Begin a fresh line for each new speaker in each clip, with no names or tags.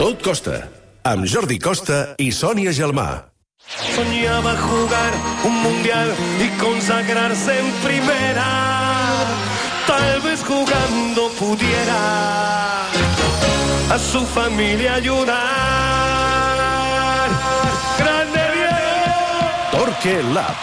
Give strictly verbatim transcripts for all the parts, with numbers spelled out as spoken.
Tot Costa, amb Jordi Costa i Sònia Gelmà.
Soñaba jugar un mundial y consagrarse en primera. Tal vez jugando pudiera a su familia ayudar. ¡Grande Diego!
Torque Lab.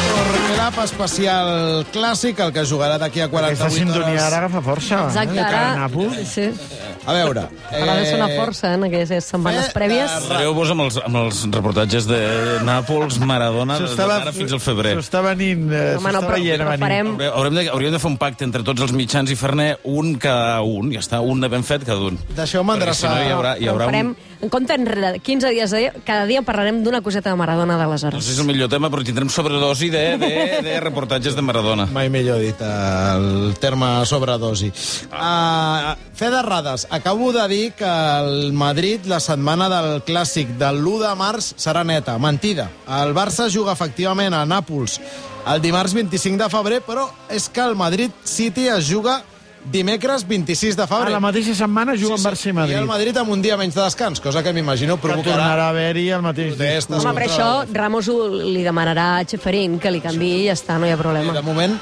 Torque Lab especial clàssic, el que jugarà d'aquí a quaranta-vuit hores.
Aquesta sintonia ara agafa força.
Exacte,
eh?
ara... Sí.
A veure...
Ara de sonar força, en aquestes setmanes prèvies.
Pareu-vos amb, els, amb els reportatges de Nàpols, Maradona, d'ara fins al febrer.
S'ho està venint, eh,
Home, no,
s'ho està
però,
veient a
però
venir.
farem...
Haurem de, hauríem de fer un pacte entre tots els mitjans i fer-ne un cada un. Ja està, un de ben fet cada un.
Deixeu-me endreçar.
Si no, hi haurà, hi haurà
Ho farem,
un...
en compte enrere, quinze dies, de, cada dia parlarem d'una coseta de Maradona
No
d'aleshores.
sé si és el millor tema, però tindrem sobredosi de, de, de reportatges de Maradona.
Mai millor dit el terme sobredosi. Uh, fe d'errades. Acabo de dir que el Madrid, la setmana del Clàssic del l'u de març, serà neta. Mentida. El Barça juga efectivament a Nàpols el dimarts vint-i-cinc de febrer, però és que el Madrid City es juga dimecres vint-i-sis de febrer.
A la mateixa setmana juguen sí, sí. Barça i Madrid.
I el Madrid amb un dia menys de descans, cosa que m'imagino
Que
provocarà...
tornarà a haver-hi el mateix
protestes
Home, per
contra-
això Ramos ho, li demanarà a Cheferín que li canviï i ja està, no hi ha problema.
De moment,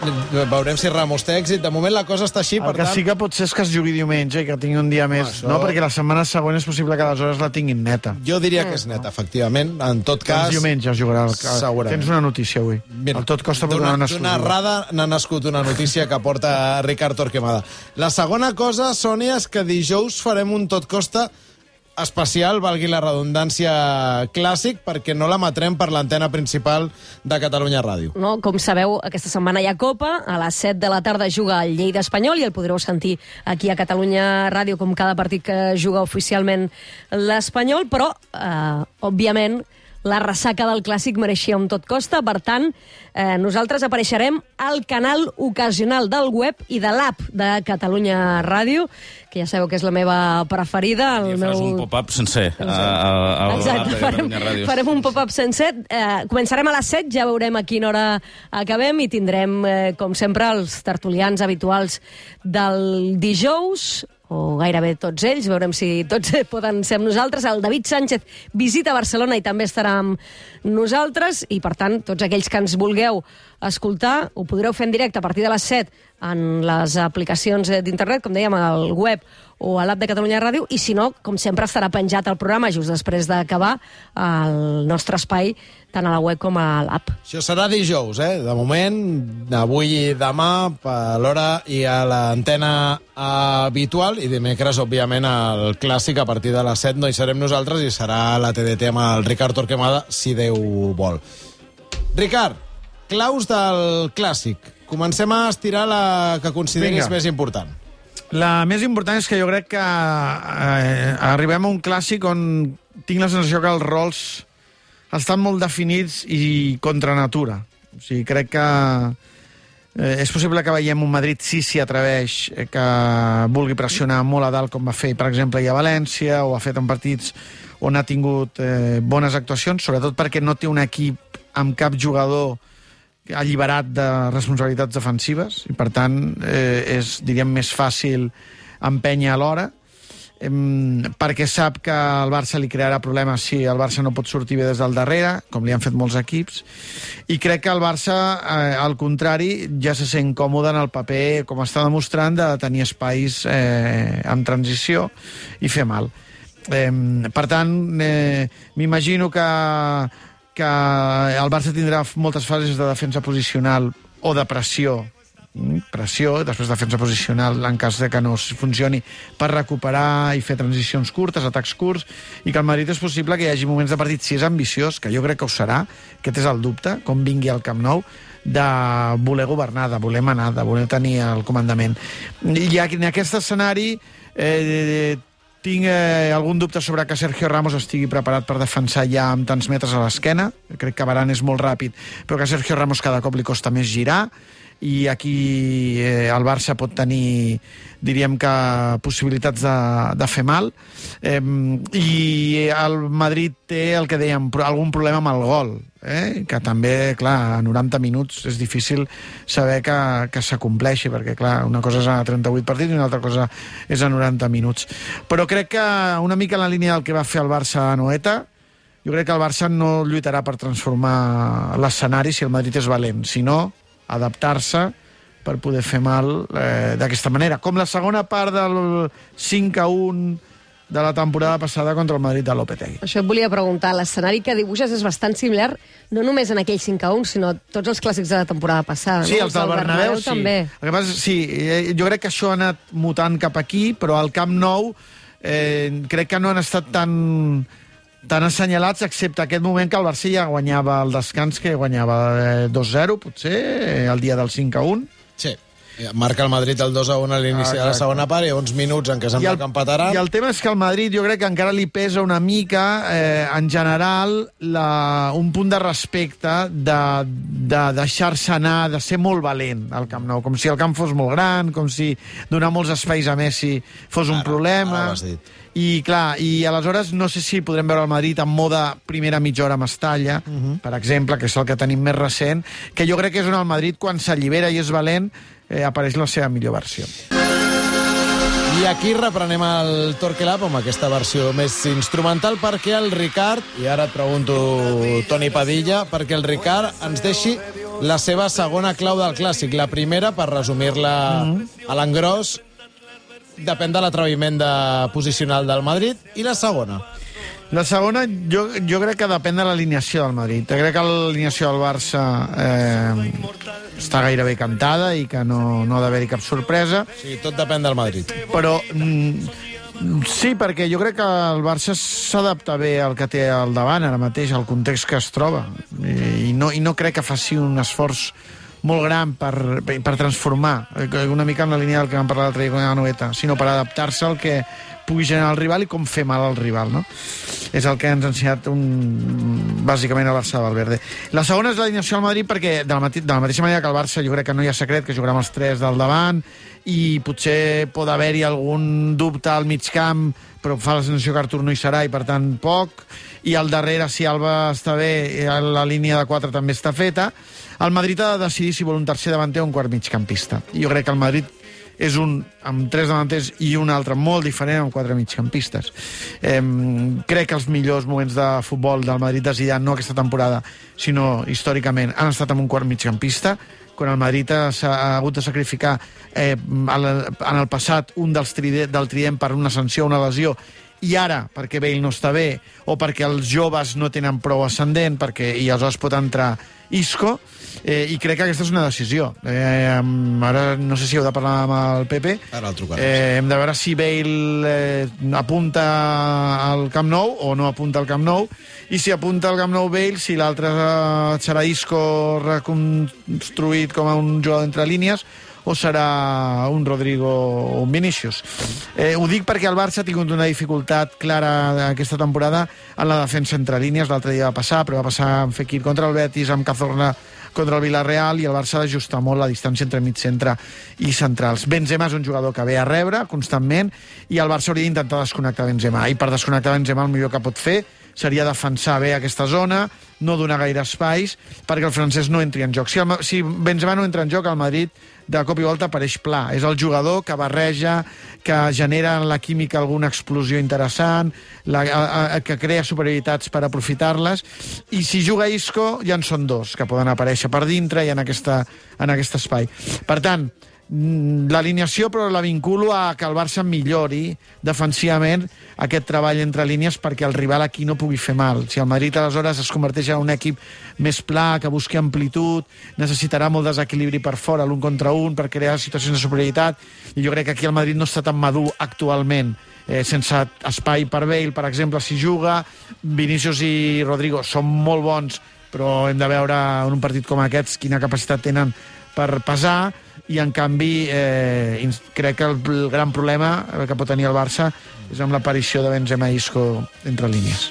veurem si Ramos té èxit. De moment la cosa està així,
El
per
que
tant...
sí que pot ser és que es jugui diumenge i que tingui un dia més,
això-
no? Perquè la setmana següent és possible que aleshores la tinguin neta.
Jo diria que és neta, efectivament. En tot cas...
Doncs diumenge es jugarà. El...
Segurament.
Tens una notícia avui.
Mira,
el tot costa per
d'una,
donar una
d'una
exclusiva.
errada n'ha nascut una notícia que porta Ricard Torquemada. La segona cosa, Sònia, és que dijous farem un tot costa especial, valgui la redundància, clàssic, perquè no l'emetrem per l'antena principal de Catalunya Ràdio.
No, com sabeu, aquesta setmana hi ha Copa, a les set de la tarda juga el Lleida Espanyol i el podreu sentir aquí a Catalunya Ràdio com cada partit que juga oficialment l'Espanyol, però, eh, òbviament, la ressaca del Clàssic mereixia un tot costa, per tant, eh, nosaltres apareixerem al canal ocasional del web i de l'app de Catalunya Ràdio, que ja sabeu que és la meva preferida. El
I faràs
meu...
un pop-up sencer a, a, a,
Exacte,
a
farem,
Catalunya Ràdio.
farem un pop-up sencer. Eh, començarem a les set, ja veurem a quina hora acabem i tindrem, eh, com sempre, els tertulians habituals del dijous, o gairebé tots ells, veurem si tots poden ser amb nosaltres. El David Sánchez visita Barcelona i també estarà amb nosaltres, i per tant, tots aquells que ens vulgueu escoltar, ho podreu fer en directe a partir de les set en les aplicacions d'internet, com dèiem, al web o a l'app de Catalunya Ràdio, i si no, com sempre, estarà penjat el programa just després d'acabar el nostre espai, tant a la web com a l'app.
Això serà dijous, eh? De moment, avui i demà, a l'hora i a l'antena habitual, i dimecres, òbviament, al Clàssic, a partir de les set no hi serem nosaltres, i serà la T D T amb el Ricard Torquemada, si Déu vol. Ricard, claus del Clàssic. Comencem a estirar la que consideris
Vinga.
més important.
La més important és que jo crec que eh, arribem a un Clàssic on tinc la sensació que els rols estan molt definits i contra natura. O sigui, crec que eh, és possible que veiem un Madrid sí s'hi atreveix, eh, que vulgui pressionar molt a dalt, com va fer, per exemple, ahir a València, o ha fet en partits on ha tingut eh, bones actuacions, sobretot perquè no té un equip amb cap jugador alliberat de responsabilitats defensives, i per tant eh, és, diríem, més fàcil empènyer a l'hora, eh, perquè sap que el Barça li crearà problemes si el Barça no pot sortir bé des del darrere, com li han fet molts equips, i crec que el Barça, eh, al contrari, ja se sent còmode en el paper, com està demostrant, de tenir espais eh, en transició i fer mal. Eh, per tant, eh, m'imagino que que el Barça tindrà moltes fases de defensa posicional o de pressió, pressió, després defensa posicional en cas de que no funcioni, per recuperar i fer transicions curtes, atacs curts, i que el Madrid és possible que hi hagi moments de partit, si és ambiciós, que jo crec que ho serà, aquest és el dubte, com vingui al Camp Nou, de voler governar, de voler manar, de voler tenir el comandament. I en aquest escenari eh, tinc eh, algun dubte sobre que Sergio Ramos estigui preparat per defensar ja amb tants metres a l'esquena. Crec que Varane és molt ràpid, però que a Sergio Ramos cada cop li costa més girar, i aquí eh, el Barça pot tenir, diríem que, possibilitats de, de fer mal. Eh, I el Madrid té el que dèiem, algun problema amb el gol. eh? Que també, clar, a noranta minuts és difícil saber que, que s'acompleixi, perquè, clar, una cosa és a trenta-vuit partits i una altra cosa és a noranta minuts. Però crec que una mica en la línia del que va fer el Barça a Anoeta, jo crec que el Barça no lluitarà per transformar l'escenari si el Madrid és valent, sinó adaptar-se per poder fer mal eh, d'aquesta manera. Com la segona part del cinc a un de la temporada passada contra el Madrid de Lopetegui.
Això et volia preguntar. L'escenari que dibuixes és bastant similar, no només en aquell cinc a un, sinó tots els clàssics de la temporada passada.
Sí,
no?
els del Bernabéu, sí.
També.
El que passa, sí, jo crec que això ha anat mutant cap aquí, però al Camp Nou eh, crec que no han estat tan, tan assenyalats, excepte aquest moment que el Barça ja guanyava el descans, que guanyava eh, dos zero, potser, eh, el dia del cinc a un.
Sí. Marca el Madrid el dos a un a l'inici ah, de la segona part i uns minuts en què sembla que empataran.
I el tema és que al Madrid jo crec que encara li pesa una mica, eh, en general, la, un punt de respecte de, de deixar-se anar, de ser molt valent al Camp Nou, com si el camp fos molt gran, com si donar molts espais a Messi fos un
ara,
problema.
Ara ho has dit.
I clar, i aleshores no sé si podrem veure el Madrid en mode primera mitja hora Mestalla, uh -huh. per exemple, que és el que tenim més recent, que jo crec que és on el Madrid, quan s'allibera i és valent, eh, apareix la seva millor versió.
I aquí reprenem el Torquelab amb aquesta versió més instrumental perquè el Ricard, i ara et pregunto, Toni Padilla, perquè el Ricard ens deixi la seva segona clau del clàssic. La primera, per resumir-la uh -huh. a l'engròs, depèn de l'atreviment de posicional del Madrid, i la segona?
La segona, jo, jo crec que depèn de l'alineació del Madrid. Jo crec que l'alineació del Barça eh, està gairebé cantada i que no, no ha d'haver-hi cap sorpresa.
Sí, tot depèn del Madrid.
Però mm, sí, perquè jo crec que el Barça s'adapta bé al que té al davant ara mateix, al context que es troba. I, i, no, i no crec que faci un esforç molt gran per, per transformar, una mica en la línia del que vam parlar l'altre dia con la Noeta, sinó per adaptar-se al que pugui generar el rival i com fer mal al rival, no? És el que ens ha ensenyat un, bàsicament el Barça de Valverde. La segona és l'alineació del Madrid perquè de la, mati, de la mateixa manera que el Barça jo crec que no hi ha secret, que jugarà amb els tres del davant i potser pot haver-hi algun dubte al mig camp, però fa la sensació que Artur no hi serà i per tant poc, i al darrere si Alba està bé la línia de quatre també està feta. El Madrid ha de decidir si vol un tercer davanter o un quart migcampista. I jo crec que el Madrid és un amb tres davanters i un altre molt diferent amb quatre migcampistes. Eh, crec que els millors moments de futbol del Madrid de Zidane, no aquesta temporada, sinó històricament, han estat amb un quart migcampista, quan el Madrid s'ha hagut de sacrificar eh, en el passat un dels trident, del trident per una sanció o una lesió, i ara, perquè Bale no està bé, o perquè els joves no tenen prou ascendent, perquè i aleshores pot entrar Isco, eh, i crec que aquesta és una decisió. Eh, ara no sé si heu de parlar amb el Pepe.
Ara el trucarem.
Eh, hem de veure si Bale eh, apunta al Camp Nou o no apunta al Camp Nou, i si apunta al Camp Nou Bale, si l'altre eh, serà Isco reconstruït com a un jugador entre línies, o serà un Rodrigo o un Vinícius. Eh, ho dic perquè el Barça ha tingut una dificultat clara aquesta temporada en la defensa entre línies. L'altre dia va passar, però va passar amb Fekir contra el Betis, amb Cazorla contra el Villarreal, i el Barça ha d'ajustar molt la distància entre mig centre i centrals. Benzema és un jugador que ve a rebre constantment, i el Barça hauria d'intentar desconnectar Benzema, i per desconnectar Benzema el millor que pot fer seria defensar bé aquesta zona, no donar gaire espais, perquè el francès no entri en joc. Si, el, si Benzema no entra en joc, el Madrid de cop i volta apareix pla. És el jugador que barreja, que genera en la química alguna explosió interessant, la, a, a, que crea superioritats per aprofitar-les, i si juga Isco ja en són dos, que poden aparèixer per dintre i en, aquesta, en aquest espai. Per tant, l'alineació, però la vinculo a que el Barça millori defensivament aquest treball entre línies perquè el rival aquí no pugui fer mal. Si el Madrid aleshores es converteix en un equip més pla, que busqui amplitud, necessitarà molt desequilibri per fora, l'un contra un, per crear situacions de superioritat, i jo crec que aquí el Madrid no està tan madur actualment, eh, sense espai per Bale, per exemple, si juga. Vinícius i Rodrigo són molt bons, però hem de veure en un partit com aquests quina capacitat tenen per pesar, i en canvi eh, crec que el, el gran problema que pot tenir el Barça és amb l'aparició de Benzema i Isco entre línies.